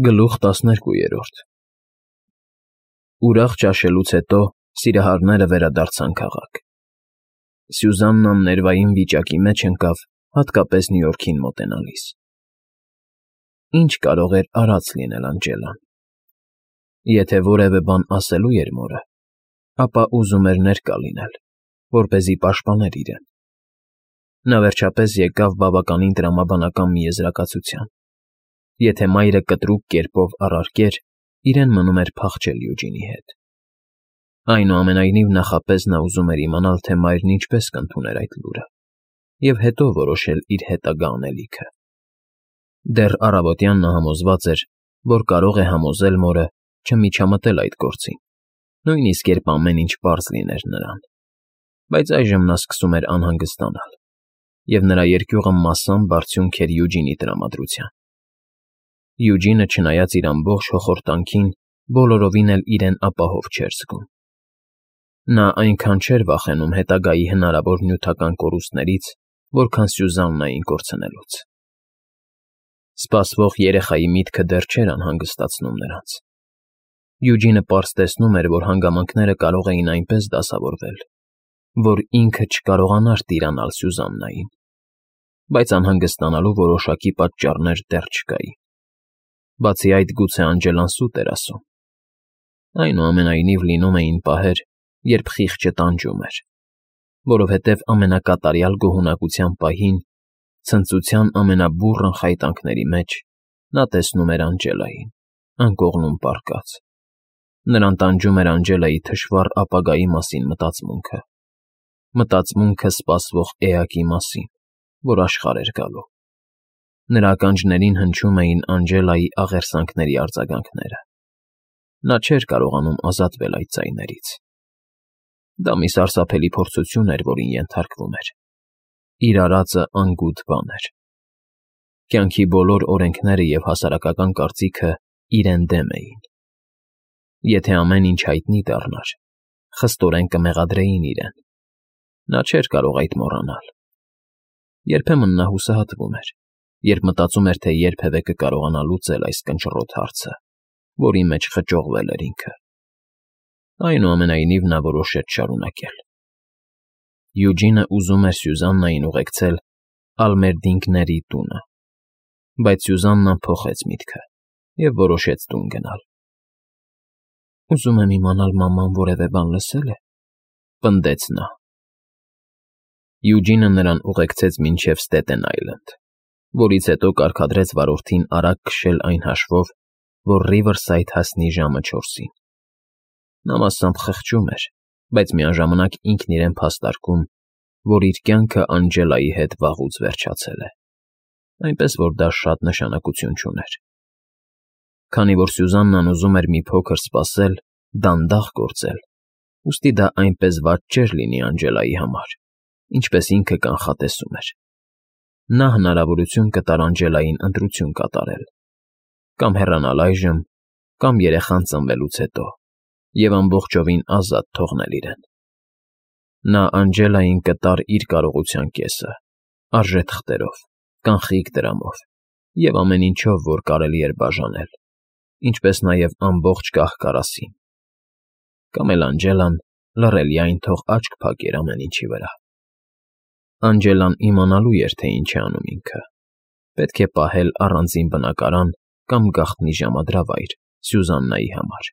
Գլուխ 12 Ուրախ ճաշելուց հետո սիրահարները վերադարձան քաղաք։ Սյուզաննան ներվային վիճակի մեջ ընկավ, հատկապես Նյու Յորքին մոտենալիս։ Ինչ կարող էր արած լինել Անջելան։ Եթե որևէ բան ասելու էր մորը, ապա ուզում էր ներկա լինել, որպեսզի պաշտպաներ իրեն։ Նա վերջապես եկավ բավականին տրամաբանական մի եզրակացության. եթե մայրը կտրուկ կերպով առարկեր, իրեն մնում էր փախչել Յուջինի հետ։ Այնուամենայնիվ նախապես նա ուզում էր իմանալ, թե մայրն ինչպես կընդուներ այդ լուրը, և հետո որոշել իր հետագա անելիքը։ Դեռ առավոտյան նա համոզված էր, որ կարող է համոզել մորը չմիջամտել այդ գործին, նույնիսկ երբ ամեն ինչ պարզ լիներ նրան։ Բայց այժմ նա սկսում էր անհանգստանալ, և նրա երկյուղը մասամբ արդյունք էր Յուջինի տրամադրության։ Յուջինը, չնայած իր ամբողջ հոխորտանքին, բոլորովին էլ իրեն ապահով չէր զգում։ Նա այնքան չէր վախենում հետագայի հնարավոր նյութական կորուստներից, որքան Սյուզաննային կորցնելուց։ Սպասվող երեխայի միտքը դեռ չէր անհանգստացնում նրանց։ Յուջինը պարզ տեսնում էր, որ հանգամանքները կարող էին այնպես դասավորվել, որ ինքը չկարողանար տիրանալ Սյուզաննային, բայց անհանգստանալու որոշակի պատճառներ դեռ չկային։ Բացի այդ, գուցե Անջելան սուտ էր ասում։ Այնուամենայնիվ լինում էին պահեր, երբ խիղճը տանջում էր, որովհետև ամենակատարյալ գոհունակության պահին, ցնծության ամենաբուռն խայտանքների մեջ, նա տեսնում էր Անջելային, անկողնում պառկած։ Նրան տանջում էր Անջելայի թշվառ ապագայի մասին մտածմունքը սպասվող էակի մասին, որ աշխարհ էր գալու։ Նրա ականջներին հնչում էին Անջելայի աղերսանքների արձագանքները։ Նա չէր կարողանում ազատվել այդ ձայներից։ Դա մի սարսափելի փորձություն էր, որին ենթարկվում էր։ Իր արածը անգութ բան էր։ Կյանքի բոլոր օրենքները և հասարակական կարծիքը իրեն դեմ էին։ Եթե ամեն ինչ հայտնի դառնար, խստորեն կմեղադրեին իրեն։ Նա չէր կարող այդ մոռանալ։ Երբեմն նա հուսահատվում էր, երբ մտածում էր, թե երբևէ կկարողանա լուծել այս կնճռոտ հարցը, որի մեջ խճողվել էր ինքը։ Այնուամենայնիվ նա որոշեց շարունակել։ Յուջինը ուզում էր Սյուզաննային ուղեկցել Ալմերդինգների տունը, բայց Սյուզաննան փոխեց միտքը և որոշեց տուն գնալ։ «Ուզում եմ իմանալ, մաման որևէ բան լսել է», պնդեց նա։ Յուջինը նրան ուղեկցեց մինչև Ստետեն Այլենդ, որից հետո կարգադրեց վարորդին արագ քշել այն հաշվով, որ Ռիվըրսայդ հասնի ժամը 4-ին։ Նա մասամբ խղճում էր, բայց միաժամանակ ինքն իրեն փաստարկում, որ իր կյանքը Անջելայի հետ վաղուց վերջացել է, այնպես որ դա շատ նշանակություն չուներ։ Քանի որ Սյուզաննան ուզում էր մի փոքր սպասել, դանդաղ գործել, ուստի դա այնպես վատ չէր լինի Անջելայի համար, ինչպես ինքը կանխատեսում էր։ Նա հնարավորություն կտար Անջելային ընտրություն կատարել, կամ հեռանալ այժմ, կամ երեխան ծնվելուց հետո, և ամբողջովին ազատ թողնել իրեն։ Նա Անջելային կտար իր կարողության կեսը, արժե թղթերով, կանխիկ դրամով և ամեն ինչով, որ կարելի էր բաժանել, ինչպես նաև ամբողջ կահ֊կարասին։ Կամ էլ Անջելան լռելիայն թող աչք փակեր ամեն ինչի վրա։ Անջելան իմանալու էր, թե ինչ է անում ինքը։ Պետք է պահել առանձին բնակարան կամ գաղտնի ժամադրավայր Սյուզաննայի համար։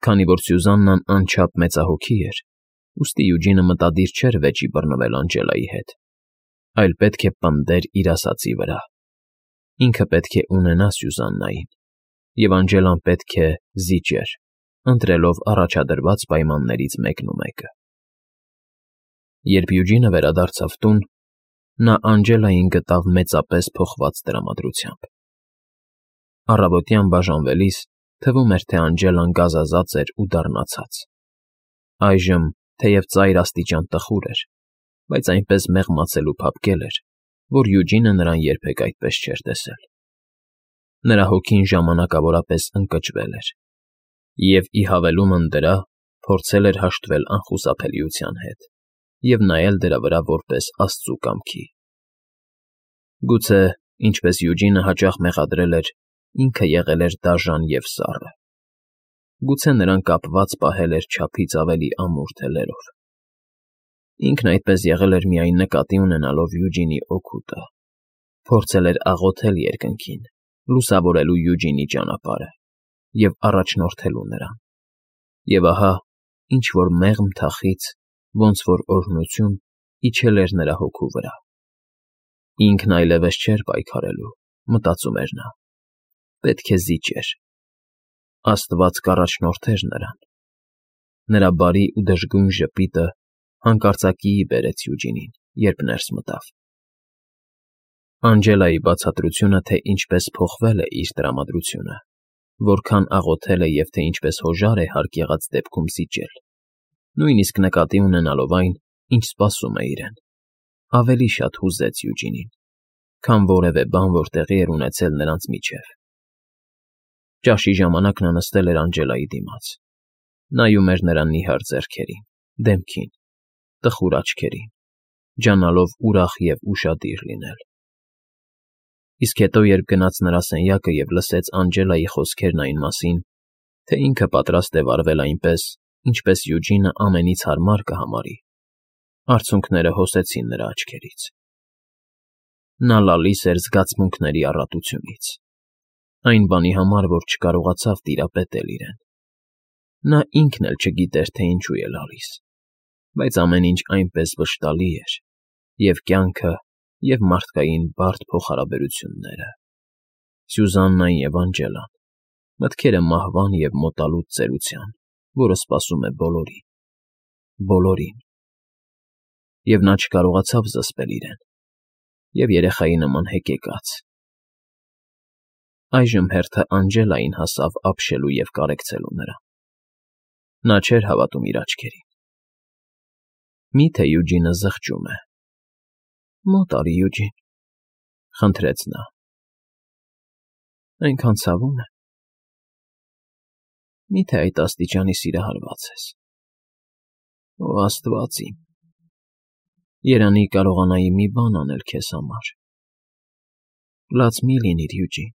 Քանի որ Սյուզաննան անչափ մեծահոգի էր, ուստի Յուջինը մտադիր չէր վեճի բռնվել Անջելայի հետ, այլ պետք է պնդեր իր ասածի վրա։ Ինքը պետք է ունենա Սյուզաննային, և Անջելան պետք է զիջեր, ընտրելով առաջադրված պայմաններից մեկնումեկը։ Երբ Յուջինը վերադարձավ տուն, նա Անջելային գտավ մեծապես փոխված տրամադրությամբ։ Առավոտյան բաժանվելիս թվում էր, թե Անջելան գազազած էր ու դառնացած։ Այժմ, թեև ծայր աստիճան տխուր էր, բայց այնպես մեղմացել ու փափկել էր, որ Յուջինը նրան երբեք այդպես չէր տեսել։ Նրա հոգին ժամանակավորապես ընկճվել էր, և ի հավելումն դրա փորձել էր հաշտվել անխուսափելիության հետ և նայել դրա վրա որպես Աստծու կամքի։ Գուցե, ինչպես Յուջինը հաճախ մեղադրել էր, ինքը եղել էր դաժան և սառը։ Գուցե նրան կապված պահել էր չափից ավելի ամուր թելերով։ Ինքն այդպես եղել էր միայն նկատի ունենալով Յուջինի օգուտը, փորձել էր աղոթել երկնքին, լուսավորելու Յուջինի ճանապարհը և առաջնորդելու նրան։ Եվ ահա, ինչ-որ մեղմ թախից, ոնց որ օրհնություն, իջել էր նրա հոգու վրա։ Ինքն այլևս չէր պայքարելու, մտածում էր նա։ Պետք է զիջեր։ Աստված կառաջնորդեր նրան։ Նրա բարի ու դժգույն ժպիտը հանկարծակիի բերեց Յուջինին, երբ ներս մտավ։ Անջելայի բացատրությունը, թե ինչպես փոխվել է իր տրամադրությունը, որքան աղոթել է և թե ինչպես հոժար է հարկ եղած դեպքում զիջել, նույնիսկ նկատի ունենալով այն, ինչ սպասում է իրեն, ավելի շատ հուզեց Յուջինին, քան որևէ բան, որ տեղի էր ունեցել նրանց միջև։ Ճաշի ժամանակ նա նստել էր Անջելայի դիմաց, նայում էր նրան նիհար ձեռքերին, դեմքին, տխուր աչքերին, ջանալով ուրախ և ուշադիր լինել։ Իսկ հետո, երբ գնաց նրա սենյակը և լսեց Անջելայի խոսքերն այն մասին, թե ինքը պատրաստ է վարվել այնպես, ինչպես Յուջինը ամենից հարմար կհամարի, արցունքները հոսեցին նրա աչքերից։ Նա լալիս էր զգացմունքների առատությունից, այն բանի համար, որ չկարողացավ տիրապետել իրեն։ Նա ինքն էլ չգիտեր, թե ինչու է լալիս, բայց ամեն ինչ այնպես վշտալի էր, և կյանքը, և մարդկային բարդ փոխհարաբերությունները, Սյուզաննան և Անջելան, մտքերը մահվան և մոտալուտ ծերության, որը սպասում է բոլորին, բոլորին։ Եվ նա չկարողացավ զսպել իրեն, և երեխայի նման հեկեկաց։ Այժմ հերթը Անջելային հասավ ապշելու և կարեկցելու նրան։ Նա չէր հավատում իր աչքերին։ Մի՞թե Յուջինը զղջում է։ Մոտ արի, Յուջին, խնդրեց նա։ Այնքան ցավում է։ Մի՞թե այդ աստիճանի սիրահարված ես։ Օ, Աստված իմ, երանի կարողանայի մի բան անել քեզ համար։ Լաց մի՛ լինիր, Յուջին։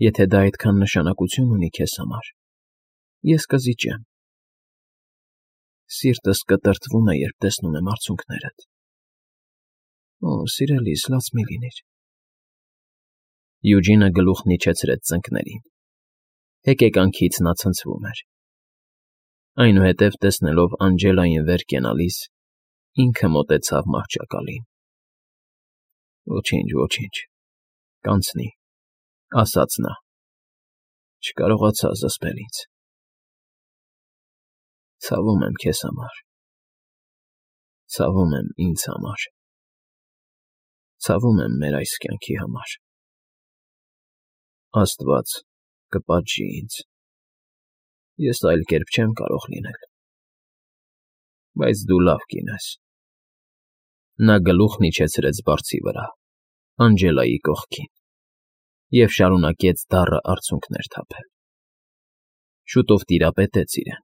Եթե դա այդքան նշանակություն ունի քեզ համար, ես կզիջեմ։ Սիրտս կտրտվում է, երբ տեսնում եմ արցունքներդ։ Օ, սիրելիս, լաց մի՛ լինիր։ Յուջինը գլուխն իջեցրեց ծնկներին։ Հեկեկանքից նա ցնցվում էր։ Այնուհետև, տեսնելով Անջելային վեր կենալիս, ինքը մոտեցավ մահճակալին։ Ոչինչ, ոչինչ, կանցնի, ասաց նա։ Չկարողացա զսպել ինձ։ Ցավում եմ քեզ համար։ Ցավում եմ ինձ համար։ Ցավում եմ մեր այս կյանքի համար։ Աստված կպատժի ինձ։ Ես այլ կերպ չեմ կարող լինել։ Բայց դու լավ կին ես։ Նա գլուխն իջեցրեց բարձի վրա, Անջելայի կողքին, և շարունակեց դառը արցունքներ թափել։ Շուտով տիրապետեց իրեն,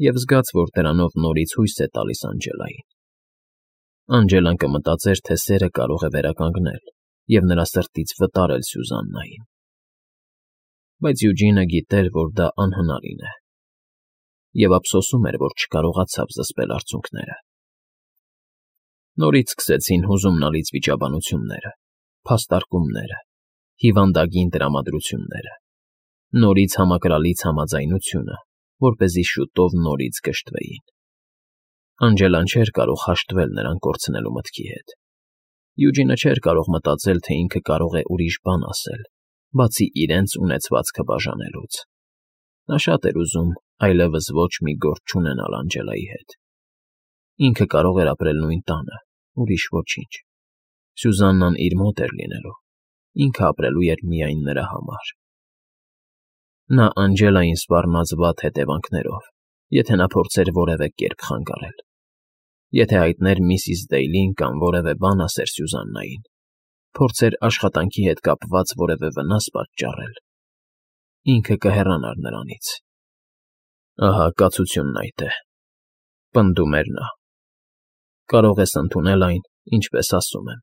և զգաց, որ դրանով նորից հույս է տալիս Անջելային։ Անջելան կմտածեր, թե սերը կարող է վերականգնել և նրա սրտից վտարել Սյուզաննային։ Բայց Յուջինը գիտեր, որ դա անհնարին է, և ափսոսում էր, որ չկարողացավ զսպել արցունքները։ Նորից սկսեցին հուզումնալից վիճաբանությունները, փաստարկումները, հիվանդագին տրամադրությունները, նորից համակրալից համաձայնությունը, որպեսզի շուտով նորից կշտվեին։ Անջելան չէր կարող հաշտվել նրան կորցնելու մտքի հետ։ Յուջինը չէր կարող մտածել, թե ինքը կարող է ուրիշ բան ասել, բացի իրենց ունեցվածքը բաժանելուց։ Նա շատ էր ուզում այլևս ոչ մի գործ չունենալ Անջելայի հետ։ Ինքը կարող էր ապրել նույն տանը, ուրիշ ոչինչ։ Սյուզաննան իր մոտ էր լինելու, ինքը ապրելու էր միայն նրա համար։ Նա Անջելային սպառնաց վատ հետևանքներով, եթե նա փորձեր որևէ կերպ խանգարել։ Եթե հայտներ միսիս Դեյլին կամ որևէ բան ասեր Սյուզաննային, փորձեր աշխատանքի հետ կապված որևէ վնաս պատճառել, ինքը կհեռանար նրանից։ Ահա կացությունն այդ է, պնդում էր նա։ Կարող ես ընդունել այն, ինչպես ասում եմ,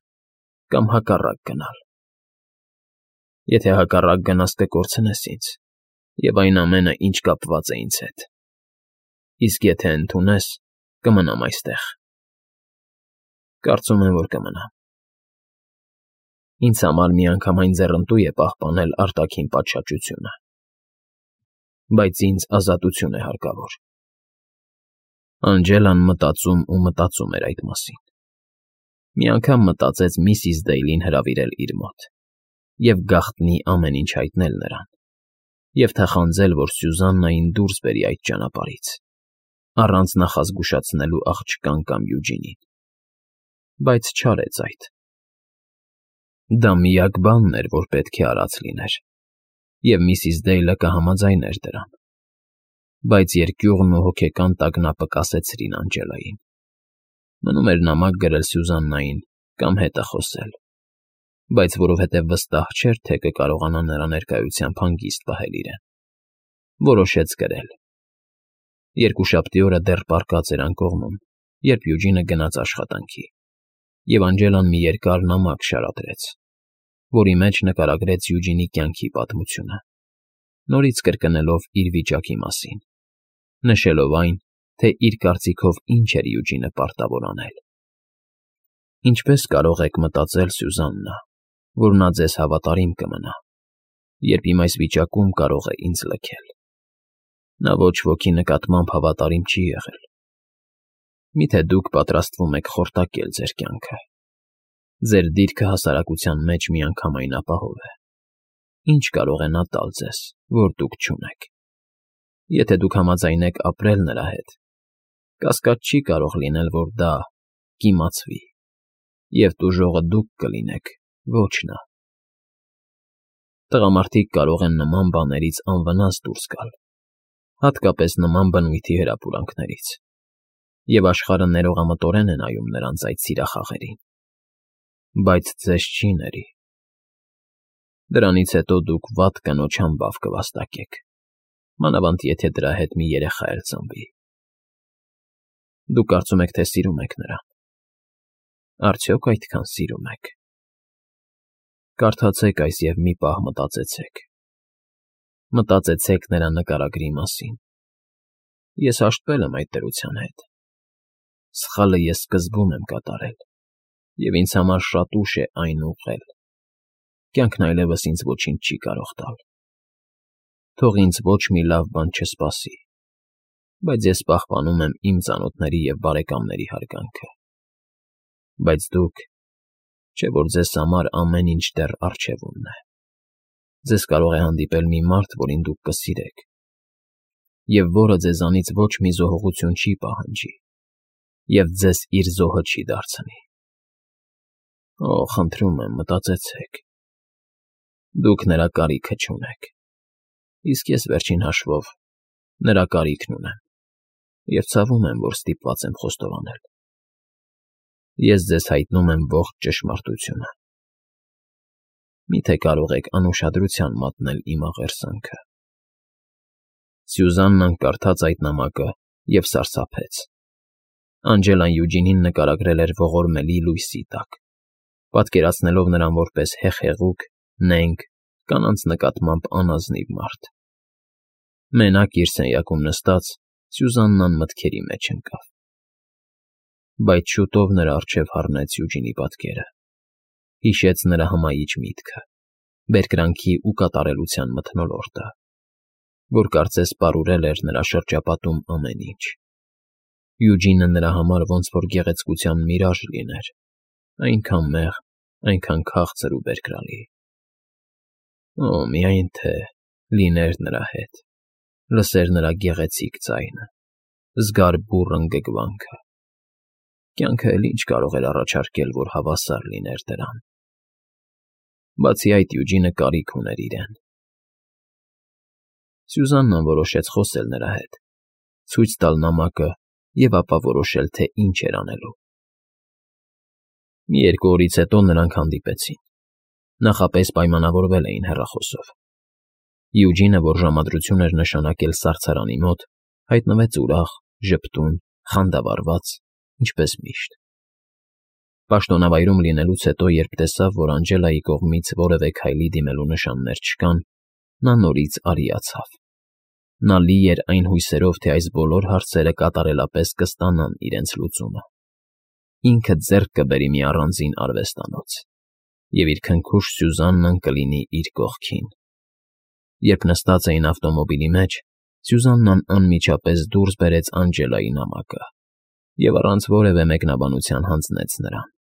կամ հակառակ գնալ։ Եթե հակառակ գնաս կկորցնես ինձ, և այն ամենը, ինչ կապված է ինձ հետ։ Իսկ եթե ընդունես, կմնամ այստեղ։ Կարծում եմ, որ կմնամ։ Ինձ համար միանգամայն ձեռնտու է պահպանել արտաքին պատշաճությունը, բայց ինձ ազատություն է հարկավոր։ Անջելան մտածում ու մտածում էր այդ մասին։ Մի անգամ մտածեց միսիս Դեյլին հրավիրել իր մոտ և գաղտնի ամեն ինչ հայտնել նրան, և թախանձել, որ Սյուզաննային դուրս բերի այդ ճանապարհից, առանց նախազգուշացնելու աղջկան կամ Յուջինին, բայց չարեց այդ։ Դա միակ բանն էր, որ պետք է արած լիներ, և միսիս Դեյլը կհամաձայներ դրան, բայց երկյուղն ու հոգեկան տագնապը կասեցրին Անջելային։ Մնում էր նամակ գրել Սյուզաննային կամ հետը խոսել, բայց որովհետև վստահ չէր, թե կկարողանա նրա ներկայությամբ հանգիստ պահել իրեն, որոշեց գրել։ Երկուշաբթի օրը դեռ պառկած էր անկողնում, երբ Յուջինը գնաց աշխատանքի, և Անջելան մի երկար նամակ շարադրեց, որի մեջ նկարագրեց Յուջինի կյանքի պատմությունը, նորից կրկնելով իր վիճակի մասին, նշելով այն, թե իր կարծիքով ինչ էր Յուջինը պարտավոր անել։ Ինչպես կարող եք մտածել, Սյուզաննա, որ նա ձեզ հավատարիմ կմնա, երբ իմ այս վիճակում կարող է ինձ լքել։ Նա ոչ ոքի նկատմամբ հավատարիմ չի եղել։ Միթե դուք պատրաստվում եք խորտակել ձեր կյանքը։ Ձեր դիրքը հասարակության մեջ միանգամայն ապահով է։ Ինչ կարող է նա տալ ձեզ, որ դուք չունեք։ Եթե դուք համաձայնեք ապրել նրա հետ, կասկած չի կարող լինել, որ դա կիմացվի, և տուժողը դուք կլինեք, ոչ նա։ Տղամարդիկ կարող են նման բաներից անվնաս դուրս գալ, հատկապես նման բնույթի հրապուրանքներից, և աշխարհը ներողամտորեն է նայում նրանց այդ սիրախաղերին, բայց ձեզ չի ների։ Դրանից հետո դուք վատ կնոջ համբավ կվաստակեք, մանավանդ եթե դրա հետ մի երեխա էլ ծնվի։ Դուք կարծում եք, թե սիրում եք նրան։ Արդյոք այդքան սիրում եք։ Կարդացեք այս և մի պահ մտածեցեք։ Մտածեցեք նրա նկարագրի մասին։ Ես հաշտվել եմ այդ դրության հետ։ Սխալը ես սկզբում եմ կատարել, և ինձ համար շատ ուշ է այն ուղղել։ Կյանքն այլևս ինձ ոչինչ չի կարող տալ։ Թող ինձ ոչ մի լավ բան չսպասի, բայց ես պահպանում եմ իմ ծանոթների և բարեկամների հարգանքը։ Բայց դուք, չէ՞ որ ձեզ համար ամեն ինչ դեռ առջևումն է։ Ձեզ կարող է հանդիպել մի մարդ, որին դուք կսիրեք, և որը ձեզանից ոչ մի զոհողություն չի պահանջի, և ձեզ իր զոհը չի դարձնի։ Օ, խնդրում եմ, մտածեցեք։ Դուք նրա կարիքը չունեք, իսկ ես, վերջին հաշվով, նրա կարիքն ունեմ, և ցավում եմ, որ ստիպված եմ խոստովանել։ Ես ձեզ հայտնում եմ ողջ ճշմարտությունը։ Մի՞թե կարող եք անուշադրության մատնել իմ աղերսանքը։ Սյուզաննան կարդաց այդ նամակը և սարսափեց։ Անջելան Յուջինին նկարագրել էր ողորմելի լույսի տակ, պատկերացնելով նրան որպես հեղեղուկ, նենգ, կանանց նկատմամբ անազնիվ մարդ։ Մենակ իր սենյակում նստած՝ Սյուզաննան մտքերի մեջ ընկավ։ Բայց շուտով նրա առջև հառնեց Յուջինի պատկերը, հիշեց նրա հմայիչ միտքը, բերկրանքի ու կատարելության մթնոլորտը, որ կարծես պարուրել էր նրա շրջապատում ամեն ինչ։ Յուջինը նրա համար ոնց որ գեղեցկության միրաժ լիներ, այնքան մեղ, այնքան քաղցր ու բերկրալի։ Օ, միայն թե լիներ նրա հետ, լսեր նրա գեղեցիկ ձայնը, զգար բուռն ընգգվանքը։ Կյանքը էլ ինչ կարող էր առաջարկել, որ հավասար լիներ դրան։ Բացի այդ, Յուջինը կարիք ուներ իրեն։ Սյուզաննան որոշեց խոսել նրա հետ, ցույց տալ նամակը և ապա որոշել, թե ինչ էր անելու։ Մի երկու օրից հետո նրանք հանդիպեցին։ Նախապես պայմանավորվել էին հեռախոսով։ Յուջինը, որ ժամադրություն էր նշանակել սառցարանի մոտ, հայտնվեց ուրախ, ժպտուն, խանդավառված, ինչպես միշտ։ Պաշտոնավայրում լինելուց հետո, երբ տեսավ, որ Անջելայի կողմից որևէ քայլի դիմելու նշաններ չկան, նա նորից արիացավ։ Նա լի էր այն հույսերով, թե այս բոլոր հարցերը կատարելապես կստանան իրենց լուծումը։ Ինքը ձեռք կբերի մի առանձին արվեստանոց, և իր քնքուշ Սյուզաննան կլինի իր կողքին։ Երբ նստած էին ավտոմոբիլի մեջ, Սյուզաննան անմիջապես դուրս բերեց Անջելայի նամակը և առանց որևէ մեկնաբանության հանձնեց նրան։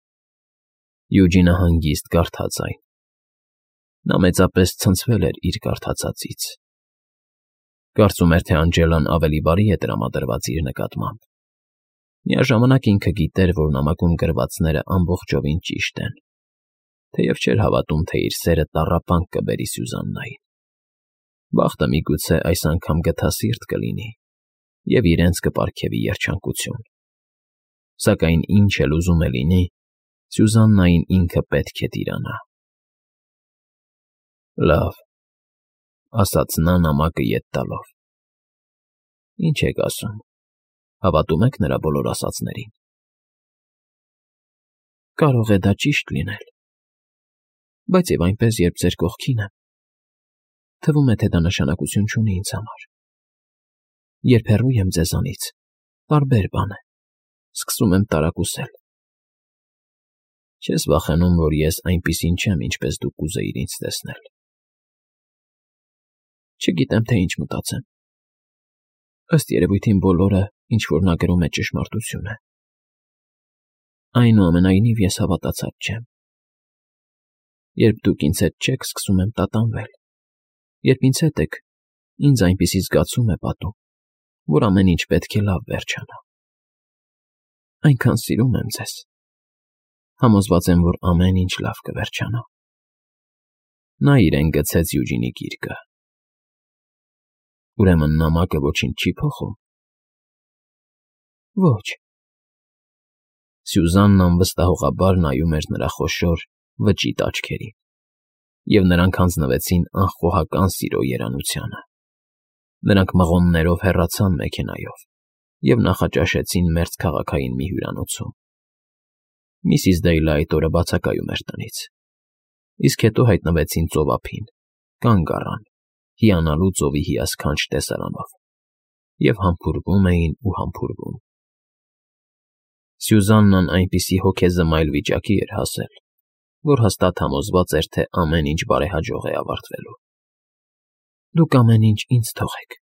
Յուջինը հանգիստ կարդաց այն։ Նա մեծապես ցնցվել էր իր կարդացածից։ Կարծում էր, թե Անջելան ավելի բարի է տրամադրված իր նկատմամբ։ Միաժամանակ ինքը գիտեր, որ նամակում գրվածները ամբողջովին ճիշտ են, թեև չէր հավատում, թե իր սերը տառապանք կբերի Սյուզաննային։ Բախտը միգուցե այս անգամ գթասիրտ կլինի և իրենց կպարգևի երջանկություն։ Սակայն ինչ էլ ուզում է լինի, Սյուզաննային ինքը պետք է տիրանա։ Լավ, ասաց նա նամակը ետ տալով։ Ինչ եք ասում, հավատում եք նրա բոլոր ասածներին։ Կարող է դա ճիշտ լինել, բայց և այնպես, երբ ձեր կողքին եմ, թվում է, թե դա նշանակություն չունի ինձ համար։ Երբ հեռու եմ ձեզանից, տարբեր բան է, սկսում եմ տարակուսել։ Չես վախենում, որ ես այնպիսին չեմ, ինչպես դու կուզեիր ինձ տեսնել։ Չգիտեմ, թե ինչ մտածեմ։ Ըստ երևույթին բոլորը, ինչ որ նա գրում է, ճշմարտություն է։ Այնուամենայնիվ ես հավատացած չեմ։ Երբ դուք ինձ հետ չեք, սկսում եմ տատանվել։ Երբ ինձ հետ եք, ինձ այնպիսի զգացում է պատում, որ ամեն ինչ պետք է լավ վերջանա։ Այնքան սիրում եմ ձեզ։ Համոզված եմ, որ ամեն ինչ լավ կվերջանա։ Նա իրեն գցեց Յուջինի գիրկը։ Ուրեմն նամակը ոչինչ չի փոխում։ Ոչ։ Սյուզաննան վստահողաբար նայում էր նրա խոշոր, վճիտ աչքերին, և նրանք հանձնվեցին անխոհական սիրո երանությանը։ Նրանք մղոններով հեռացան մեքենայով և նախաճաշեցին մերձքաղաքային մի հյուրանոցում։ Միսիս Դեյլը այդ օրը բացակայում էր տնից, իսկ հետո հայտնվեցին ծովափին, կանգ առան, հիանալու ծովի հիասքանչ տեսարանով, և համբուրվում էին ու համբուրվում։ Սյուզաննան այնպիսի հոգեզմայլ վիճակի էր հասել, որ հաստատ համոզված էր, թե ամեն ինչ բարեհաջող է ավարտվելու։ Դուք ամեն ինչ ինձ թողեք։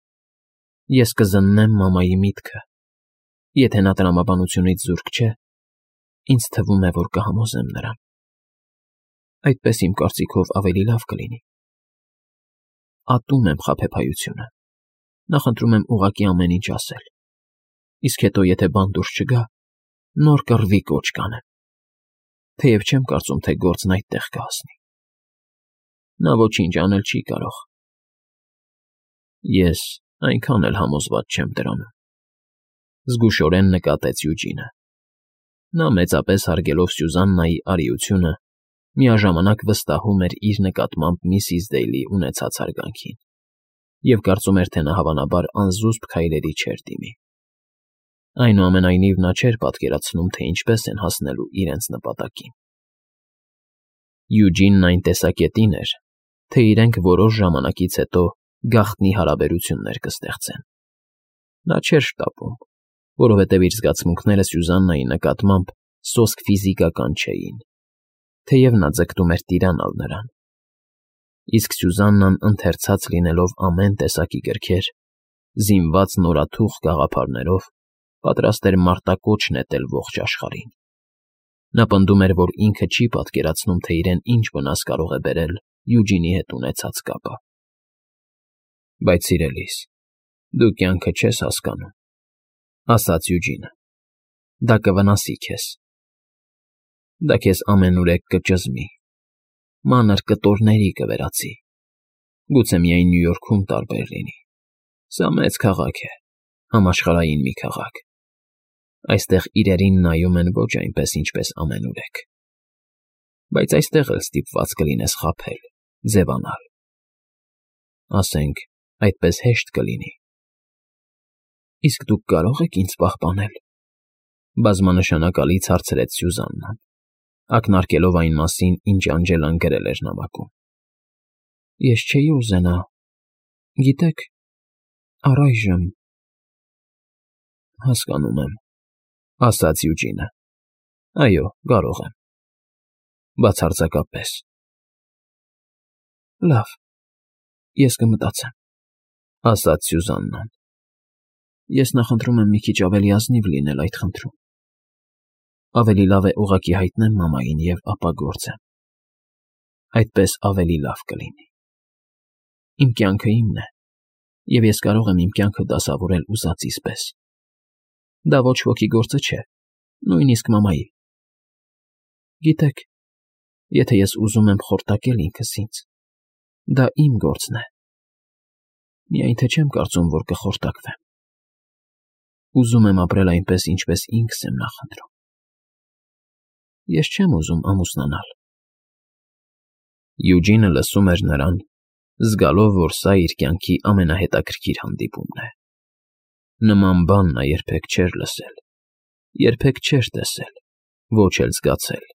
Ես կզննեմ մամայի միտքը։ Եթե նա տրամաբանությունից զուրկ չէ, ինձ թվում է, որ կհամոզեմ նրան։ Այդպես իմ կարծիքով ավելի լավ կլինի։ Ատում եմ խաբեբայությունը։ Նախընտրում եմ ուղղակի ամեն ինչ ասել։ Իսկ հետո, եթե բան դուրս չգա, նոր կռվի կոչ կանեմ։ Թեև չեմ կարծում, թե գործն այդտեղ կհասնի։ Նա ոչինչ անել չի կարող։ Ես այնքան էլ համոզված չեմ դրանում, զգուշորեն նկատեց Յուջինը։ Նա մեծապես հարգելով Սյուզաննայի արիությունը, միաժամանակ վստահում էր իր նկատմամբ միսիս Դեյլի ունեցած հարգանքին և կարծում էր, թե նա հավանաբար անզուսպ քայլերի չէր դիմի։ Այնուամենայնիվ նա չէր պատկերացնում, թե ինչպես են հասնելու իրենց նպատակին։ Յուջինն այն տեսակետին էր, թե իրենք որոշ ժամանակից հետո գաղտնի հարաբերություններ կստեղծեն։ Նա չէր շտապում, որովհետև իր զգացմունքները Սյուզաննայի նկատմամբ սոսկ ֆիզիկական չէին, թեև նա ձգտում էր տիրանալ նրան։ Իսկ Սյուզաննան ընթերցած լինելով ամեն տեսակի գրքեր, զինված նորաթուխ գաղափարներով, պատրաստ էր մարտակոչ նետել ողջ աշխարհին։ Նա պնդում էր, որ ինքը չի պատկերացնում, թե իրեն ինչ վնաս կարող է բերել Յուջինի հետ ունեցած կապը։ Բայց սիրելիս, դու կյանքը չես հասկանում, ասաց Յուջինը։ Դա կվնասի քեզ։ Դա քեզ ամենուրեք կճզմի, մանր կտորների կվերածի։ Գուցե միայն Նյու Յորքում տարբեր լինի։ Սա մեծ քաղաք է, համաշխարհային մի քաղաք։ Այստեղ իրերին նայում են ոչ այնպես, ինչպես ամենուրեք։ Բայց այստեղ էլ ստիպված կլինես խաբել, ձևանալ։ Ասենք, այդպես հեշտ կլինի։ Իսկ դուք կարո՞ղ եք ինձ պահպանել, բազմանշանակալից հարցրեց Սյուզաննան։ ակնարկելով այն մասին, ինչ Անջելան գրել էր նամակում։ Ես չէի ուզենա, գիտեք, առայժմ… Հասկանում եմ, ասաց Յուջինը։ Այո, կարող եմ… Բացարձակապես… Լավ, ես կմտածեմ, ասաց Սյուզաննան։ Ես նախընտրում եմ մի քիչ ավելի ազնիվ լինել այդ խնդրում։ Ավելի լավ է ուղղակի հայտնեմ մամային և ապա գործեմ։ Այդպես ավելի լավ կլինի։ Իմ կյանքը իմն է, և ես կարող եմ իմ կյանքը դասավորել ուզածիս պես։ Դա ոչ ոքի գործը չէ, նույնիսկ մամայի։ Գիտեք, եթե ես ուզում եմ խորտակել ինքս ինձ, դա իմ գործն է։ Միայն թե չեմ կարծում, որ կխորտակվեմ։ Ուզում եմ ապրել այնպես, ինչպես ինքս եմ նախընտրում։ Ես չեմ ուզում ամուսնանալ։ Յուջինը լսում էր նրան, զգալով, որ սա իր կյանքի ամենահետաքրքիր հանդիպումն է։ Նման բան նա երբեք չէր լսել, երբեք չէր տեսել, ոչ էլ զգացել։